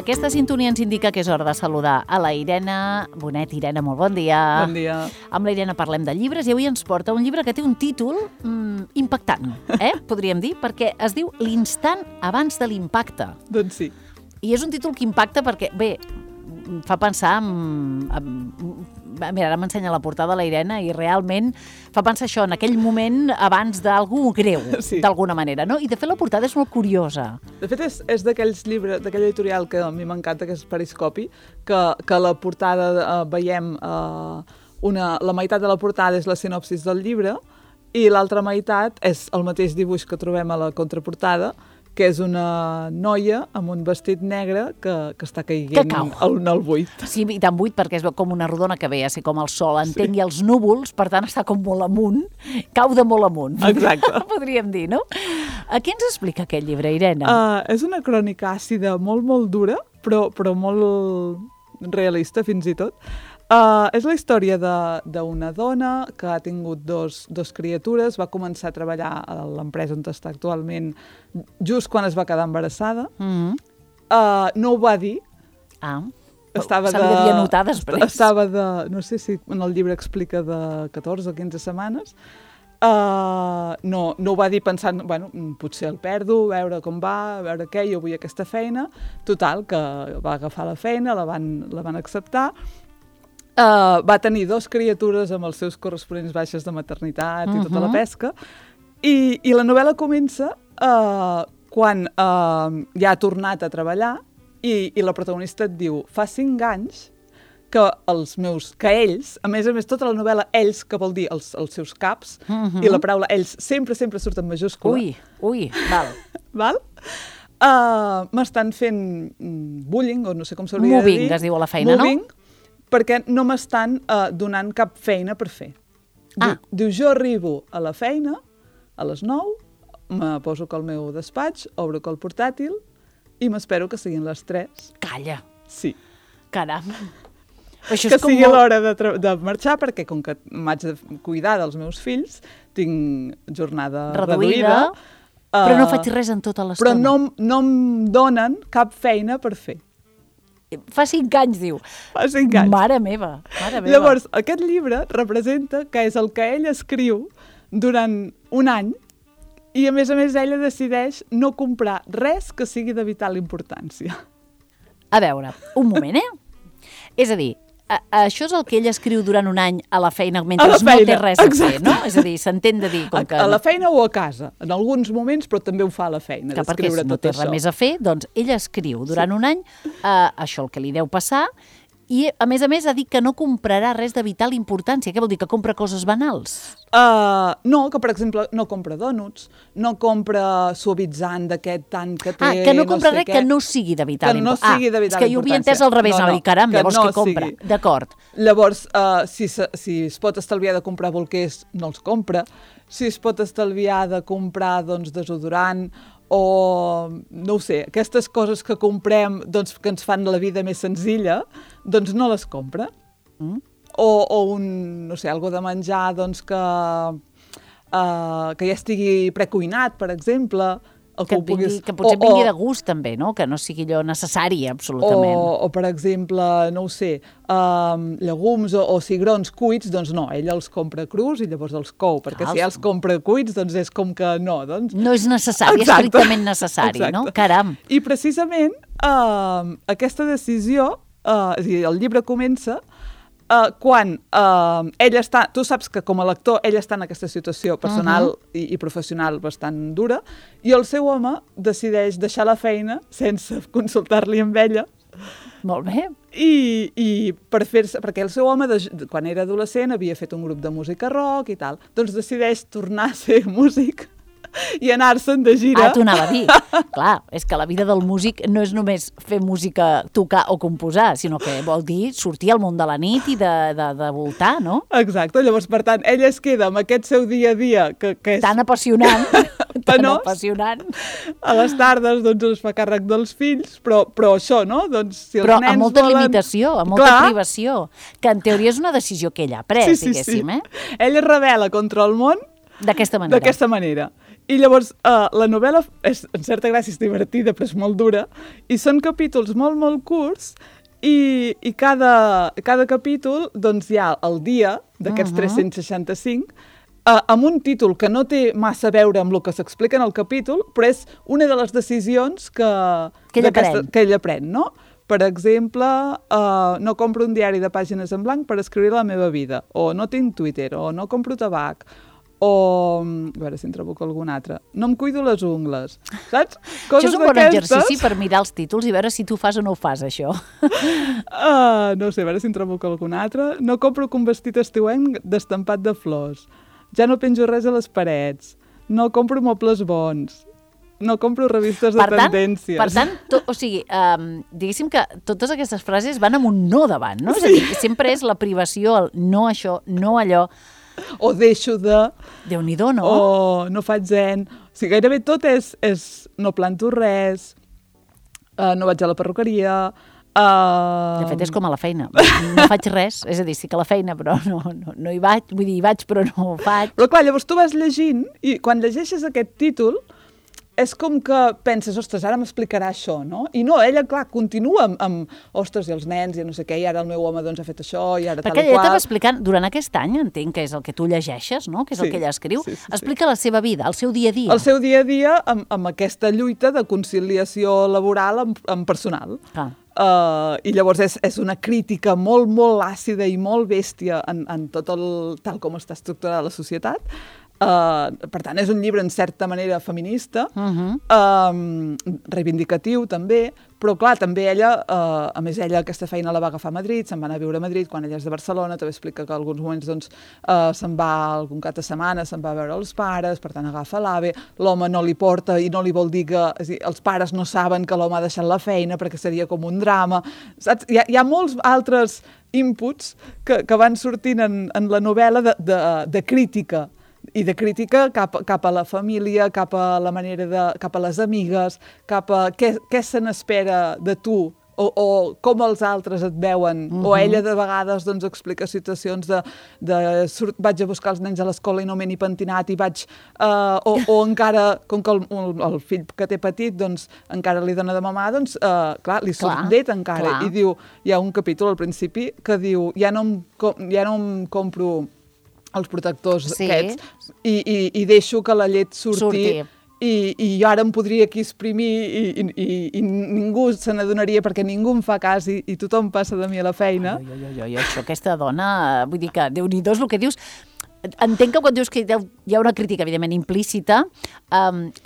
Aquesta sintonia ens indica que és hora de saludar a la Irene Bonet. Irene, molt bon dia. Bon dia. Amb la Irene parlem de llibres i avui ens porta un llibre que té un títol impactant, podríem dir, perquè es diu L'instant abans de l'impacte. Doncs sí. I és un títol que impacta perquè, bé, fa pensar mira, ara m'ensenya la portada la Irene i realment fa pensar això, en aquell moment abans d'algú greu, sí, d'alguna manera, no? I de fet la portada és molt curiosa. De fet és d'aquells llibres, d'aquella editorial que a mi m'encanta, que és Periscopi, que la portada veiem, la meitat de la portada és la sinopsis del llibre i l'altra meitat és el mateix dibuix que trobem a la contraportada, que és una noia amb un vestit negre que està caiguent al buit. Sí, i tan buit perquè es veu com una rodona que ve a ser com el sol, entengui els núvols, per tant està com molt amunt, cau de molt amunt. Exacte. Podríem dir, no? A què ens explica aquest llibre, Irene? És una crònica àcida molt, molt dura, però molt realista fins i tot. És la història d'una dona que ha tingut dos criatures, va començar a treballar a l'empresa on està actualment just quan es va quedar embarassada. No ho va dir. Se li devia notar després. Estava no sé si en el llibre explica de 14 o 15 setmanes. No ho va dir pensant, bueno, potser el perdo, veure com va, veure què, jo vull aquesta feina. Total, que va agafar la feina, la van acceptar. Va tenir 2 criatures amb els seus corresponents baixes de maternitat i tota la pesca, i la novel·la comença quan ja ha tornat a treballar i la protagonista et diu, fa 5 anys que ells, a més, tota la novel·la ells, que vol dir els seus caps, i la paraula ells sempre surt en majúscula. Ui, val? M'estan fent bullying, o no sé com s'hauria de dir. Moving, es diu a la feina, no? Perquè no m'estan donant cap feina per fer. Diu, jo arribo a la feina a les 9, me poso al meu despatx, obro el portàtil i m'espero que siguin les 3. Calla. Sí. Caram. Que sigui l'hora de marxar, perquè com que m'haig de cuidar dels meus fills, tinc jornada reduïda. Però no faig res en tota l'estona. Però no em donen cap feina per fer. Fa 5 anys, diu. Fa 5 anys. Mare meva. Llavors, aquest llibre representa que és el que ell escriu durant un any i, a més, ella decideix no comprar res que sigui de vital importància. A veure, un moment, És a dir, això és el que ell escriu durant un any a la feina mentre no té res a fer, no? És a dir, s'entén de dir... A la feina o a casa, en alguns moments, però també ho fa a la feina, d'escriure tot això. Perquè no té res més a fer, doncs ell escriu durant un any això el que li deu passar i, a més, ha dit que no comprarà res de vital importància. Què vol dir, que compra coses banals? No, que, per exemple, no compra dònuts, no compra suavitzant d'aquest tant que té... Que no compra res que no sigui de vital importància. Que no sigui de vital importància. És que jo ho havia entès al revés, no, caram, llavors què compra? D'acord. Llavors, si es pot estalviar de comprar bolquers, no els compra. Si es pot estalviar de comprar, doncs, desodorant o, no ho sé, aquestes coses que comprem, doncs, que ens fan la vida més senzilla, doncs no les compra. O no sé, algo de menjar, doncs, que ja estigui precuinat, per exemple. Que potser vingui de gust, també, no? Que no sigui allò necessari, absolutament. O per exemple, no ho sé, llegums o cigrons cuits, doncs no, ella els compra crus i llavors els cou, perquè si els compra cuits, doncs és com que no. No és necessari, estrictament necessari, no? Caram. I precisament aquesta decisió, és a dir, el llibre comença quan ell està... Tu saps que com a lector ell està en aquesta situació personal i professional bastant dura i el seu home decideix deixar la feina sense consultar-li amb ella. Molt bé. I perquè el seu home, quan era adolescent, havia fet un grup de música rock i tal. Doncs decideix tornar a ser músic i anar-se'n de gira. T'ho anava a dir. Clar, és que la vida del músic no és només fer música, tocar o composar, sinó que vol dir sortir al món de la nit i de voltar, no? Exacte. Llavors, per tant, ella es queda amb aquest seu dia a dia que és... Tan apassionant. Tan apassionant. A les tardes, doncs, es fa càrrec dels fills, però això, no? Doncs, si els però nens amb molta limitació, amb molta privació, que en teoria és una decisió que ella ha pres, diguéssim, Ella es rebel·la contra el món d'aquesta manera. I llavors la novel·la és, en certa gràcia, és divertida, però és molt dura, i són capítols molt, molt curts, i cada capítol doncs, hi ha el dia d'aquests 365, amb un títol que no té massa a veure amb el que s'explica en el capítol, però és una de les decisions que ella pren, no? Per exemple, no compro un diari de pàgines en blanc per escriure la meva vida, o no tinc Twitter, o no compro tabac, o, a veure si en trobo algun altre, no em cuido les ungles, saps? Això és un bon exercici per mirar els títols i veure si tu fas o no ho fas, això. No sé, a veure si en trobo algun altre. No compro un vestit estiuenc d'estampat de flors. Ja no penjo res a les parets. No compro mobles bons. No compro revistes de tendències. Per tant, o sigui, diguéssim que totes aquestes frases van amb un no davant, no? Sí. És a dir, que sempre és la privació, el no això, no allò. O deixo de... Déu-n'hi-do, no? O no faig zen. O sigui, gairebé tot és no planto res, no vaig a la perruqueria... De fet, és com a la feina. No faig res, és a dir, sí que a la feina, però no hi vaig, vull dir, hi vaig, però no ho faig. Però clar, llavors tu vas llegint i quan llegeixes aquest títol és com que penses, ostres, ara m'explicarà això, no? I no, ella, clar, continua amb ostres, i els nens, i no sé què, i ara el meu home doncs ha fet això, i ara tal i qual. Perquè ella t'ava explicant, durant aquest any, entenc que és el que tu llegeixes, no? Que és el que ella escriu, explica la seva vida, el seu dia a dia. El seu dia a dia amb aquesta lluita de conciliació laboral amb personal. I llavors és una crítica molt, molt àcida i molt bèstia en tot tal com està estructurada la societat. Per tant, és un llibre en certa manera feminista, reivindicatiu també, però clar, també ella, a més ella aquesta feina la va agafar a Madrid, se'n va anar a viure a Madrid quan ella és de Barcelona, també explica que en alguns moments doncs, se'n va algun cap de setmana, se'n va a veure els pares, per tant agafa l'AVE, l'home no li porta i no li vol dir que... És a dir, els pares no saben que l'home ha deixat la feina perquè seria com un drama, saps? Hi ha molts altres inputs que van sortint en la novel·la de crítica, i de crítica cap a la família, cap a la manera cap a les amigues, cap a què se n'espera de tu, o com els altres et veuen, o ella de vegades doncs, explica situacions vaig a buscar els nens a l'escola i no m'he ni pentinat i vaig... O encara, com que el fill que té petit doncs, encara li dona de mamar, doncs, clar, li surt net encara. I diu, hi ha un capítol al principi que diu, ja no em compro els protectors aquests i deixo que la llet surti. I jo ara em podria aquí exprimir i ningú se n'adonaria perquè ningú em fa cas i tothom passa de mi a la feina. Això, aquesta dona, vull dir que Déu-n'hi-do és el que dius. Entenc que quan dius que hi ha una crítica, evidentment, implícita,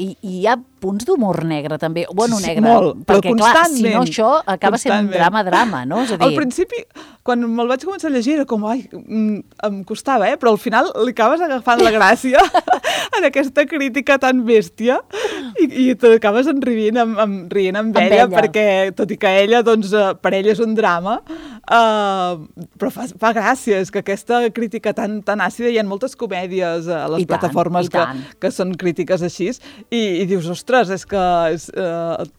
i hi ha punts d'humor negre, també. Bueno, negre. Molt, perquè, clar, si no això acaba sent un drama, no? És a dir... Al principi, quan me'l vaig començar a llegir, era com, em costava, però al final li acabes agafant la gràcia en aquesta crítica tan bèstia i t'acabes rient amb ella, perquè, tot i que ella, doncs, per ella és un drama, però fa gràcia, és que aquesta crítica tan àcida, hi ha moltes comèdies a les plataformes que són crítiques així, i dius, ostres, és que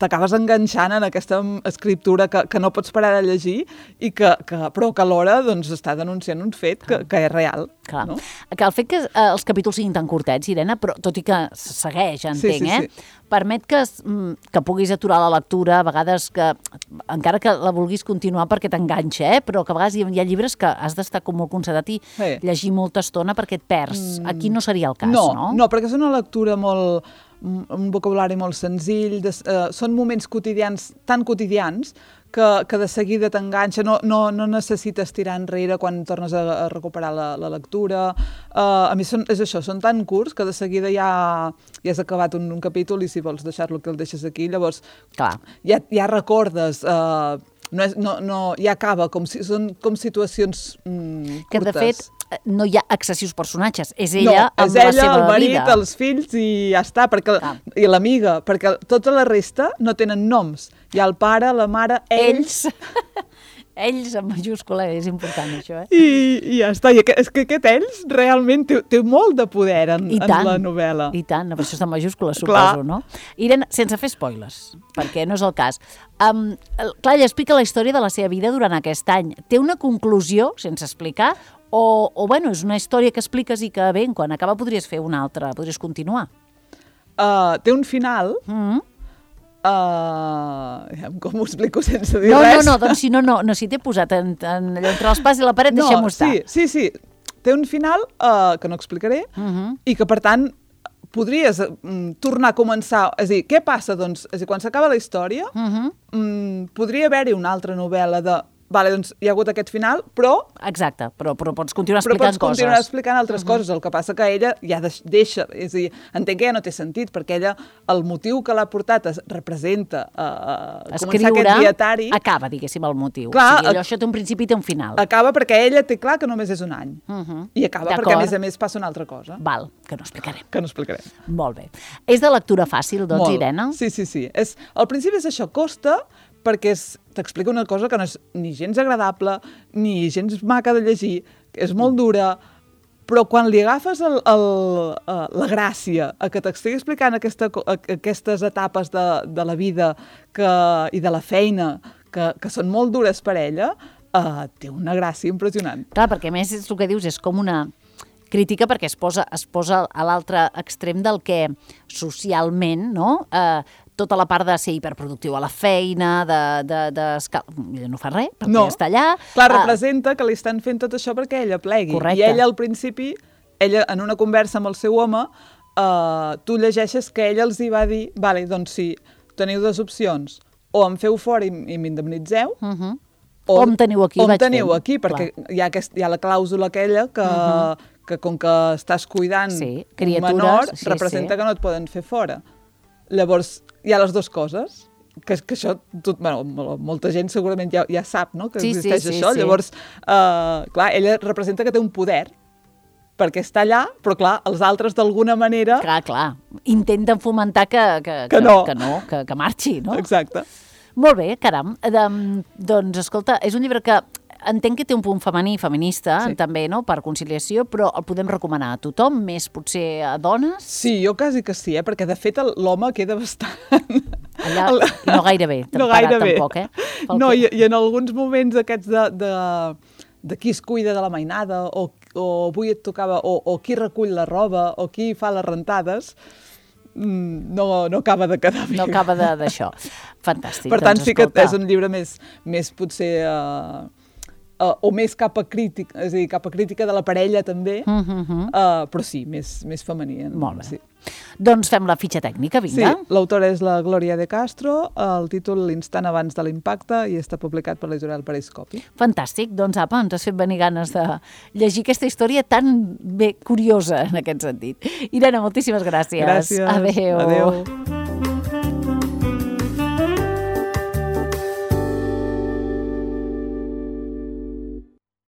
t'acabes enganxant en aquesta escriptura que no pots parar de llegir, però que alhora doncs, està denunciant un fet que és real. No? Que el fet que els capítols siguin tan curtets, Irene, però tot i que segueix, entenc, permet que puguis aturar la lectura, a vegades que, encara que la vulguis continuar perquè t'enganxa, però que a vegades hi ha llibres que has d'estar com molt concentrat i llegir molta estona perquè et perds. Aquí no seria el cas, no? No, perquè és una lectura molt... un vocabulari molt senzill, són moments quotidians, tan quotidians, que de seguida t'enganxa, no necessites tirar enrere quan tornes a recuperar la lectura. A mi és això, són tan curts que de seguida ja has acabat un capítol i si vols deixar-lo que el deixes aquí, llavors ja recordes... ja acaba, són com situacions curtes. Que de fet no hi ha excessius personatges, és ella amb la seva vida. És ella, el marit, els fills i ja està, i l'amiga, perquè tota la resta no tenen noms. Hi ha el pare, la mare, ells... Ells, en majúscula, és important això, I ja està. I és que aquest ells realment té molt de poder en la novel·la. I tant, per això està en majúscula, suposo, no? Irene, sense fer spoilers, perquè no és el cas. Clar, ella explica la història de la seva vida durant aquest any. Té una conclusió, sense explicar, o bueno, és una història que expliques i que, bé, quan acaba podries fer una altra, podries continuar. té un final... com ho explico sense dir res? No, doncs si si t'he posat allò entre l'espàs i la paret, deixem-ho estar. Sí. Té un final que no explicaré i que, per tant, podries tornar a començar... És a dir, què passa? Doncs, quan s'acaba la història, podria haver-hi una altra novel·la de... Vale, doncs hi ha hagut aquest final, però... Exacte, però pots continuar explicant coses. Però pots continuar explicant altres coses, el que passa que ella ja deixa... És a dir, entenc que ja no té sentit, perquè ella, el motiu que l'ha portat representa començar aquest dietari... Acaba, diguéssim, el motiu. Clar, o sigui, això té un principi i té un final. Acaba perquè ella té clar que només és un any. I acaba perquè, a més, passa una altra cosa. Val, que no explicarem. Molt bé. És de lectura fàcil, doncs, Irene? Sí. Al principi és això, costa... perquè t'explica una cosa que no és ni gens agradable, ni gens maca de llegir, és molt dura, però quan li agafes la gràcia a que t'estigui explicant aquestes etapes de la vida i de la feina que són molt dures per ella, té una gràcia impressionant. Clar, perquè a més és el que dius, és com una crítica perquè es posa a l'altre extrem del que socialment, no?, tota la part de ser hiperproductiu a la feina, ella no fa res, perquè està allà. Clar, representa que li estan fent tot això perquè ella plegui. Correcte. I ella, al principi, en una conversa amb el seu home, tu llegeixes que ella els hi va dir, vale, doncs sí, teniu dues opcions, o em feu fora i m'indemnitzeu, o em teniu aquí, perquè hi ha la clàusula aquella que com que estàs cuidant un menor, representa que no et poden fer fora. Llavors, hi ha les dues coses, que això, molta gent segurament ja sap, no?, que existeix això. Llavors, clar, ella representa que té un poder, perquè està allà, però clar, els altres d'alguna manera... Clar, intenten fomentar que marxi, no? Exacte. Molt bé, caram. Doncs, escolta, és un llibre que entenc que té un punt femení, feminista, també, no?, per conciliació, però el podem recomanar a tothom, més potser a dones? Sí, jo quasi que sí, perquè de fet l'home queda bastant... Allà, i no gaire bé, tampoc, No, i en alguns moments aquests de qui es cuida de la mainada, o avui et tocava, o qui recull la roba, o qui fa les rentades... no acaba de quedar bé. No acaba d'això. Fantàstic. Per tant, sí que és un llibre més potser... o més cap a crítica, és a dir, cap a crítica de la parella també, però sí, més femení. Molt bé. Sí. Doncs fem la fitxa tècnica, vinga. Sí, l'autora és la Gloria de Castro, el títol L'instant abans de l'impacte, i està publicat per l'editorial Periscopi. Fantàstic, doncs apa, ens has fet venir ganes de llegir aquesta història tan bé curiosa en aquest sentit. Irene, moltíssimes gràcies. Gràcies. Adéu. Adéu.